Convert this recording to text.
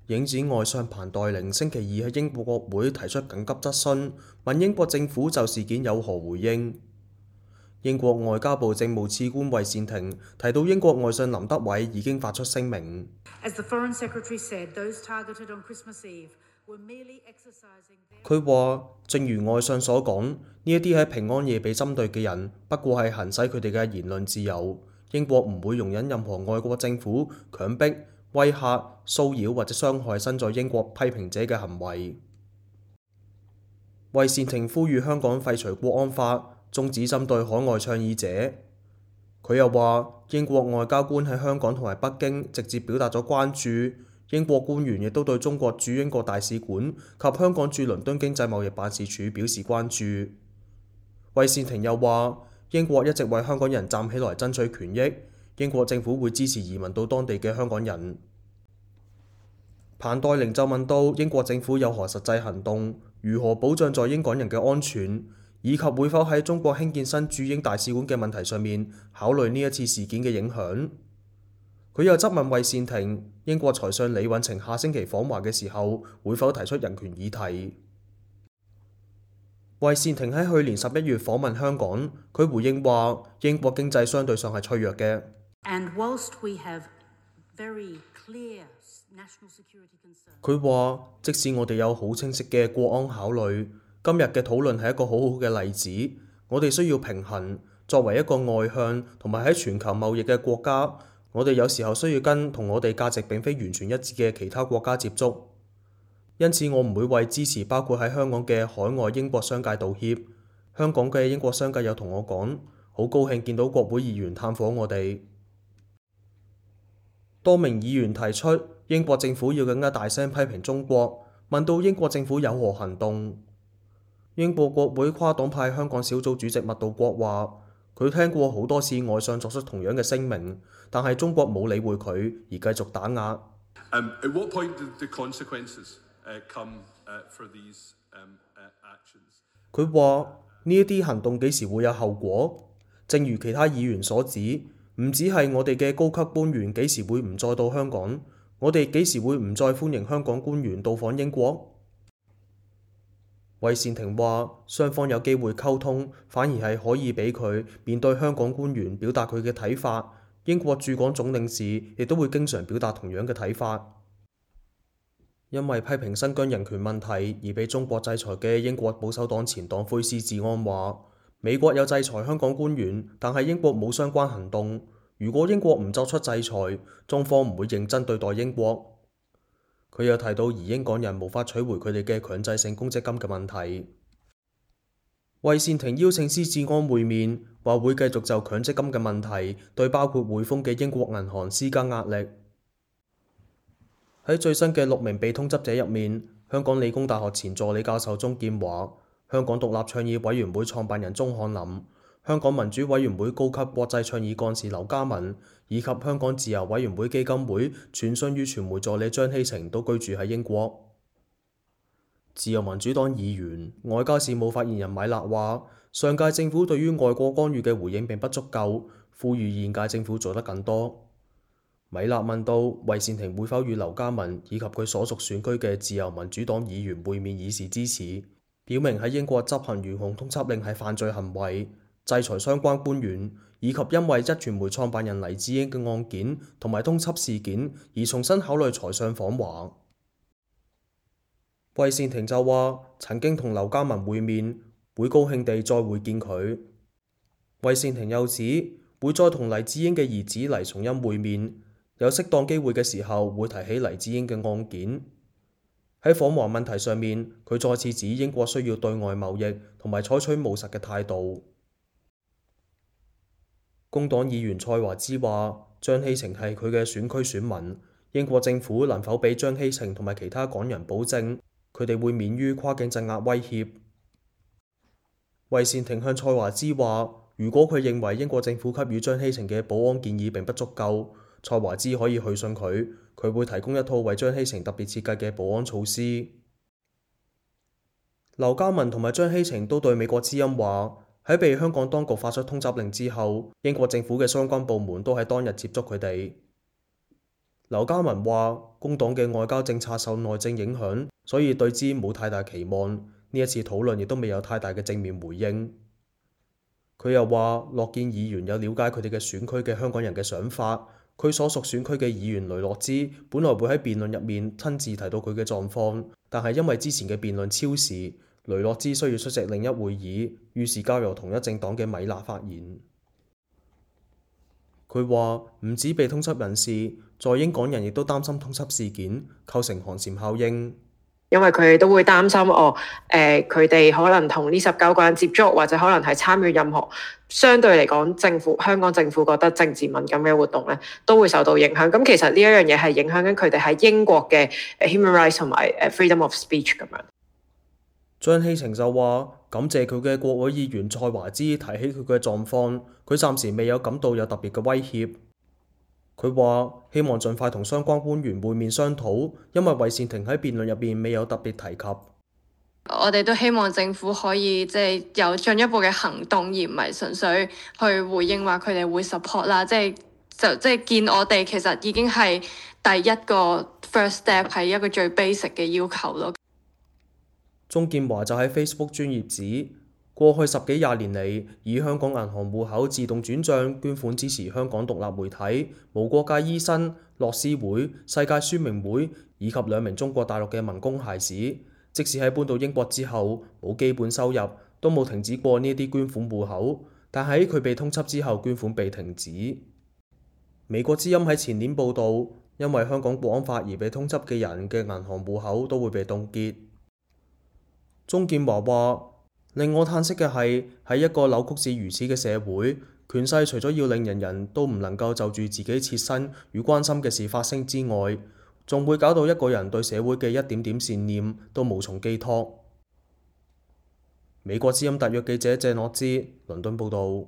影子外相彭黛玲星期二喺英國國會提出緊急質詢，問英國政府就事件有何回應。英國外交部政務次官魏善庭提到，英國外相林德偉已經發出聲明。佢話，正如外相所講，呢一啲喺平安夜被針對嘅人，不過係行使佢哋嘅言論自由。英國唔會容忍任何外國政府強迫、威嚇、騷擾或者傷害身在英國批評者嘅行為。魏善庭呼籲香港廢除國安法，終止針對海外倡議者。佢又話，英國外交官喺香港同埋北京直接表達咗關注，英國官員亦都對中國駐英國大使館及香港駐倫敦經濟貿易辦事處表示關注。魏善庭又話，英國一直為香港人站起來爭取權益，英國政府會支持移民到當地嘅香港人。彭黛玲就問到英國政府有何實際行動，如何保障在英港人嘅安全，以及會否喺中國興建新駐英大使館嘅問題上面考慮呢一次事件嘅影響。佢又質問魏善庭，英國財相李允晴下星期訪華嘅時候，會否提出人權議題。魏善庭喺去年11月訪問香港，佢回應話，英國經濟相對上係脆弱嘅。佢話，即使我哋有好清晰嘅國安考慮，今日嘅討論係一個好好嘅例子。我哋需要平衡，作為一個外向同埋喺全球貿易嘅國家，我哋有時候需要跟同我哋價值並非完全一致嘅其他國家接觸。因此，我唔會為支持包括喺香港嘅海外英國商界道歉。香港嘅英國商界有同我講，好高興見到國會議員探訪我哋。多名議員提出英國政府要更加大聲批評中國，問到英國政府有何行動。英國國會跨黨派香港小組主席麥道國話，佢聽過好多次外相作出同樣嘅聲明，但係中國冇理會佢而繼續打壓。佢話呢一啲行動幾時會有後果？正如其他議員所指，唔止係我哋嘅高級官員幾時會唔再到香港，我哋幾時會唔再歡迎香港官員到訪英國？魏善庭話，雙方有機會溝通，反而係可以俾佢面對香港官員表達佢嘅睇法。英國駐港總領事亦都會經常表達同樣嘅睇法。因為批評新疆人權問題而被中國制裁嘅英國保守黨前黨魁施志安話，美國有制裁香港官員，但係英國冇相關行動。如果英國唔作出制裁，中方唔會認真對待英國。佢又提到移英港人無法取回佢哋嘅強制性公積金嘅問題。魏善庭邀請施志安會面，話會繼續就強積金嘅問題對包括匯豐嘅英國銀行施加壓力。喺最新嘅6名被通緝者入面，香港理工大學前助理教授鍾劍華、香港獨立倡議委員會創辦人鍾翰林、香港民主委員會高級國際倡議幹事劉嘉文，以及香港自由委員會基金會傳訊與傳媒助理張希晴都居住喺英國。自由民主黨議員、外交事務發言人米勒話，上屆政府對於外國干預嘅回應並不足夠，呼籲現屆政府做得更多。米勒問到魏善庭會否與劉嘉文以及佢所屬選區嘅自由民主黨議員會面以示支持，表明喺英國執行懸紅通緝令係犯罪行為，制裁相關官員，以及因為壹傳媒創辦人黎智英嘅案件同埋通緝事件而重新考慮財相訪華。魏善庭就話曾經同劉嘉文會面，會高興地再會見佢。魏善庭又指會再同黎智英嘅兒子黎松蔭會面。有適當機會嘅時候會提起黎智英嘅案件。喺訪華問題上面，佢再次指英國需要對外貿易同埋採取務實嘅態度。工黨議員蔡華之話，張希晴係佢嘅選區選民，英國政府能否俾張希晴同埋其他港人保證，佢哋會免於跨境鎮壓威脅？魏善庭向蔡華之話，如果佢認為英國政府給予張希晴嘅保安建議並不足夠，蔡華之可以去信佢，佢會提供一套為張希晴特別設計嘅保安措施。劉嘉文同埋張希晴都對美國之音話，喺被香港當局發出通緝令之後，英國政府嘅相關部門都喺當日接觸佢哋。劉家文話：工黨嘅外交政策受內政影響，所以對之冇太大期望。呢一次討論亦都未有太大嘅正面回應。佢又話：樂見議員有了解佢哋嘅選區嘅香港人嘅想法。佢所屬選區嘅議員雷諾茲本來會喺辯論入面親自提到佢嘅狀況，但係因為之前嘅辯論超時，雷諾茲需要出席另一會議，於是交由同一政黨嘅米娜發言。佢話唔止被通緝人士，在英港人亦都擔心通緝事件構成寒蟬效應，因為佢哋都會擔心佢哋可能同呢19個人接觸，或者可能係參與任何相對嚟講香港政府覺得政治敏感嘅活動咧，都會受到影響。咁其實呢一樣嘢係影響緊佢哋喺英國嘅 human rights 同埋freedom of speech 咁樣。張希晴就話感謝佢嘅國會議員蔡華之提起佢嘅狀況，佢暫時未有感到有特別嘅威脅。佢話希望盡快同相關官員會面商討，因為韋善庭喺辯論入邊未有特別提及。我哋都希望政府可以有進一步嘅行動，而唔係純粹去回應話佢哋會 support 啦。即係見我哋其實已經係第一個 first step， 係一個最 basic 嘅要求咯。鍾建華就喺 Facebook 專頁指，過去10幾20年嚟，以香港銀行戶口自動轉帳捐款支持香港獨立媒體、無國界醫生、樂施會、世界宣明會以及2名中國大陸嘅民工孩子，即使喺搬到英國之後冇基本收入，都冇停止過呢啲捐款戶口。但喺佢被通緝之後，捐款被停止。美國之音喺前年報導，因為香港國安法而被通緝嘅人嘅銀行戶口都會被凍結。鍾建華話：令我嘆息嘅係喺一個扭曲至如此嘅社會，權勢除咗要令人人都唔能夠就住自己切身與關心嘅事發聲之外，仲會搞到一個人對社會嘅一點點善念都無從寄託。美國之音特約記者謝諾之倫敦報導。